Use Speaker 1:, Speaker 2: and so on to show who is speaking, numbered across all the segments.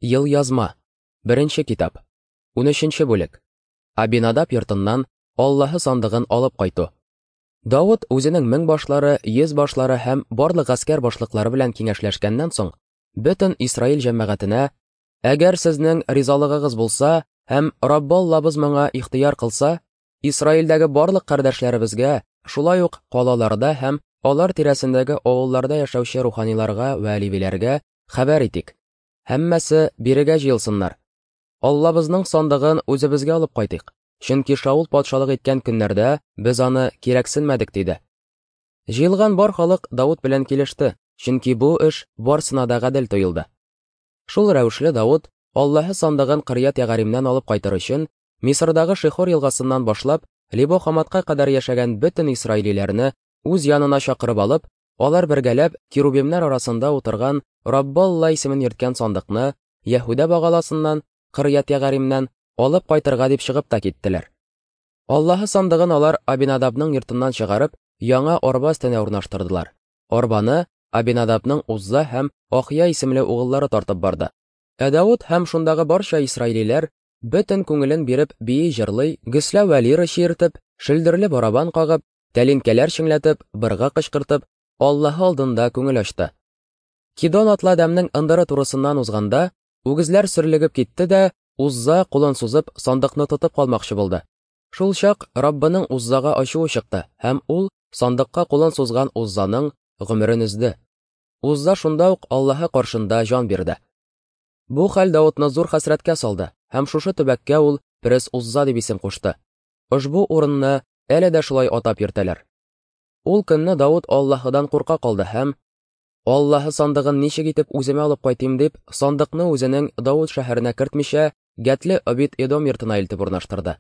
Speaker 1: Елъязма. Беренче китап. 13 бүлек. Абинадаб йортыннан Аллаһы сандыгын алып кайту. Давыт үзенең меңбашлары, йөзбашлары һәм барлык гаскәр башлыклары белән киңәшләшкәннән соң, бөтен Исраил җәмәгатенә: "Әгәр сезнең ризалыгыгыз булса һәм Раббы Аллабыз моңа ихтыяр кылса, Исраилдәге барлык кардәшләребезгә, шулай ук калаларда һәм алар тирәсендәге авылларда яшәүче руханиларга вә левиләргә хәбәр итик. Һәммәсе бирегә җыелсыннар. Аллабызның сандыгын үзебезгә алып кайтыйк, чөнки Шаул патшалык иткән көннәрдә без аны кирәксенмәдек, диде. Җыелган бар халык Давыт белән килеште, чөнки бу эш барсына да гадел тоелды. Шул рәвешле Давыт, Аллаһы сандыгын Кырьят-Ягаримнән алып кайтыр өчен, Мисырдагы Шихор елгасыннан башлап, Либо-Хаматка кадәр яшәгән бөтен исраилиләрне үз янына чакырып алып, алар бергәләп керубимнәр арасында утырган Раббы Алла исемен йөрткән сандыкны Яһүдә багаласыннан, Кырьят-Ягаримнән, алып кайтырга дип чыгып та киттеләр. Аллаһы сандыгын алар Абинадабның йортыннан чыгарып, яңа арба өстенә урнаштырдылар. Арбаны Абинадабның Узза һәм Ахия исемле угыллары тартып барды. Ә Давыт һәм шундагы барча исраилиләр бөтен күңелен биреп бии-җырлый, гөслә вә лира чиертеп, шөлдерле барабан кагып, тәлинкәләр чеңләтеп, быргы кычкыртып, Аллаһы алдында күңел ачты. Кидон атлы адәмнең ындыры турысыннан узганда, үгезләр сөрлегеп китте дә, Узза, кулын сузып, сандыкны тотып калмакчы булды. Шул чак Раббының Уззага ачуы чыкты, һәм ул сандыкка кулын сузган Уззаның гомерен өзде. Узза шунда ук Аллаһы каршында җан бирде. Бу хәл Давытны зур хәсрәткә салды, һәм шушы төбәккә ул Перес Узза дип исем кушты. Ошбу урынны әле дә шулай атап йөртәләр. Ул көнне Давыт Аллаһыдан курка калды һәм, Аллаһы сандыгын ничек итеп үземә алып кайтыйм дип, сандыкны үзенең Давыт шәһәренә кертмичә, Гәтле Обид-Эдом йортына илтеп урнаштырды.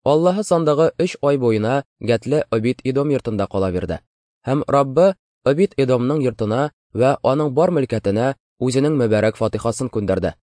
Speaker 1: Аллаһы сандыгы өч ай буена Гәтле Обид-Эдом йортында кала бирде. Һәм Раббы Обид-Эдомның йортына вә аның бар мөлкәтенә үзенең мөбарәк фатихасын күндерде.